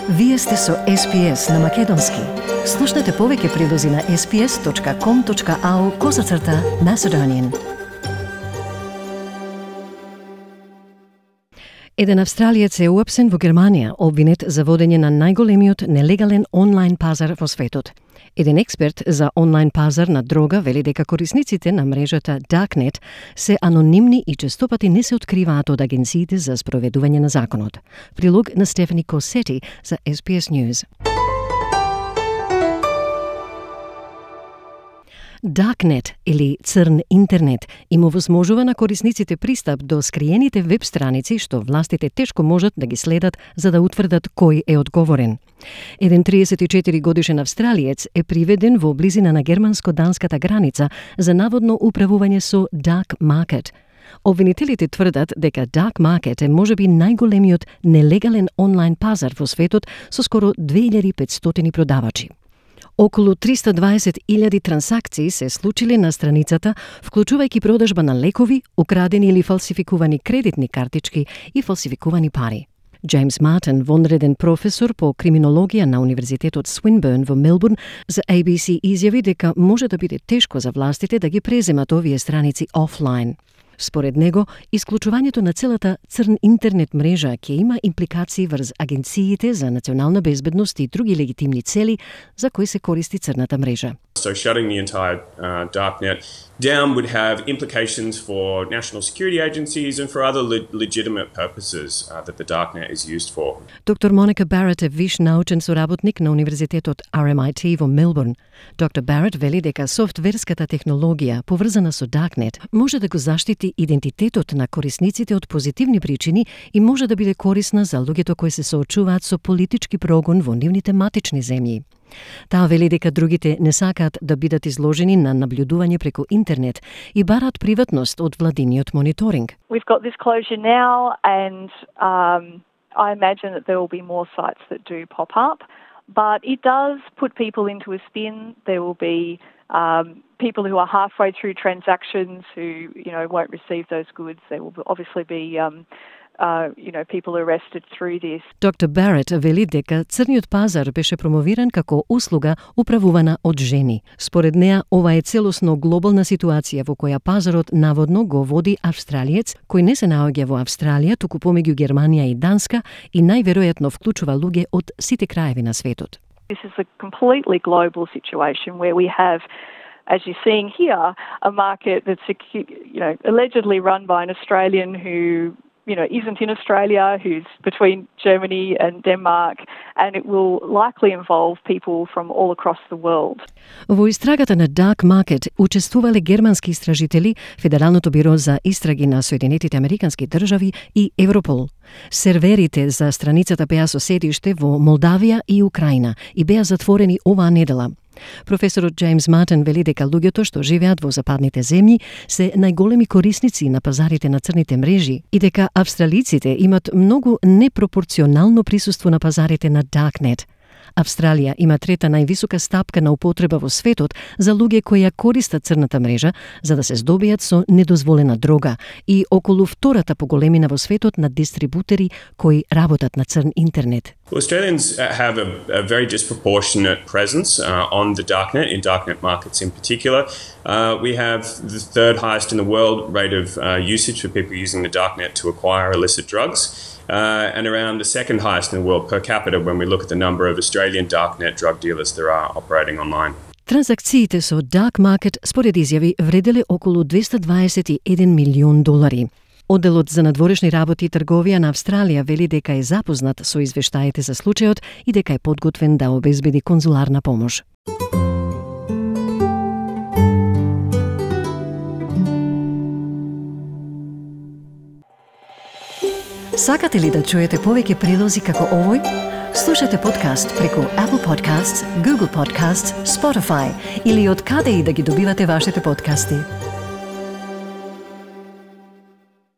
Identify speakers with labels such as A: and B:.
A: Вие сте со SPS на Македонски. Слушнете повеќе прилози на sps.com.au/Macedonian. Еден австралиец е уапсен во Германија, обвинет за водење на најголемиот нелегален онлайн пазар во светот. Еден експерт за онлайн пазар на дрога вели дека корисниците на мрежата Darknet се анонимни и честопати не се откриваат од агенциите за спроведување на законот. Прилог на Стефани Косети за SBS News. Darknet или црн интернет им овозможува на корисниците пристап до скриените веб страници што властите тешко можат да ги следат за да утврдат кој е одговорен. Еден 34 годишен австралиец е приведен во близина на германско-данската граница за наводно управување со Dark Market. Обвинителите тврдат дека Dark Market е можеби најголемиот нелегален онлайн пазар во светот со скоро 2500 продавачи. Околу 320.000 трансакции се случили на страницата, вклучувајќи продажба на лекови, украдени или фалсификувани кредитни картички и фалсификувани пари. Джеймс Мартин, вонреден професор по криминологија на Универзитетот Swinburne во Мелбурн, за ABC изјави дека може да биде тешко за властите да ги преземат овие страници офлайн. Според него, исклучувањето на целата црн интернет мрежа ќе има импликации врз агенциите за национална безбедност и други легитимни цели за кои се користи црната мрежа.
B: So shutting the entire darknet down would have implications for national security agencies and for other legitimate purposes that the darknet is used for.
A: Доктор Моника Барет е виш научен соработник на Универзитетот RMIT во Мелбурн. Доктор Барет вели дека софтверската технологија поврзана со Darknet може да го заштити идентитетот на корисниците од позитивни причини и може да биде корисна за луѓето кои се соочуваат со политички прогон во нивните матични земји. Таа вели дека другите не сакаат да бидат изложени на наблюдување преку интернет и бараат приватност од владиниот мониторинг.
C: We've got this closure now and I imagine that there will be more sites that do pop up, but it does put people into a spin. There will be people who are halfway through transactions who, won't receive those goods. There will obviously be people arrested through this.
A: Доктор Барет вели дека црниот пазар беше промовиран како услуга управувана од жени. Според неа, ова е целосно глобална ситуација во која пазарот наводно го води австралиец кој не се наоѓа во Австралија, туку помеѓу Германија и Данска и најверојатно вклучува луѓе од сите краеви на светот.
C: This is a completely global situation where we have, as you're seeing here, a market that's allegedly run by an Australian who isn't in Australia, who's between Germany and Denmark, and it will likely involve people from all across the world.
A: Во истрагата на Dark Market учествувале германски истражители, Федералното биро за истраги на Соединетите Американски држави и Европол. Серверите за страницата беа со седиште во Молдавија и Украина и беа затворени оваа недела. Професорот Джеймс Мартин вели дека луѓето што живеат во западните земји се најголеми корисници на пазарите на црните мрежи и дека австралиците имат многу непропорционално присуство на пазарите на Darknet. Австралија има трета највисока стапка на употреба во светот за луѓе кои ја користат црната мрежа за да се здобијат со недозволена дрога и околу втората по големина во светот на дистрибутери кои работат на црн интернет.
B: Well, Australians have a very disproportionate presence on the darknet, in darknet markets in particular. We have the third highest in the world rate of usage for people using the darknet to acquire illicit drugs. And around the second highest in the world per capita when we look at the number of Australian darknet drug dealers there are operating online.
A: Транзакциите со Dark Market според изјави вределе околу $221 милион. Одделот за надворешни работи и трговија на Австралија вели дека е запознат со извештаите за случајот и дека е подготвен да обезбеди конзуларна помош. Сакате ли да чуете повеќе прилози како овој? Слушате подкаст преку Apple Podcasts, Google Podcasts, Spotify или од каде и да ги добивате вашите подкасти.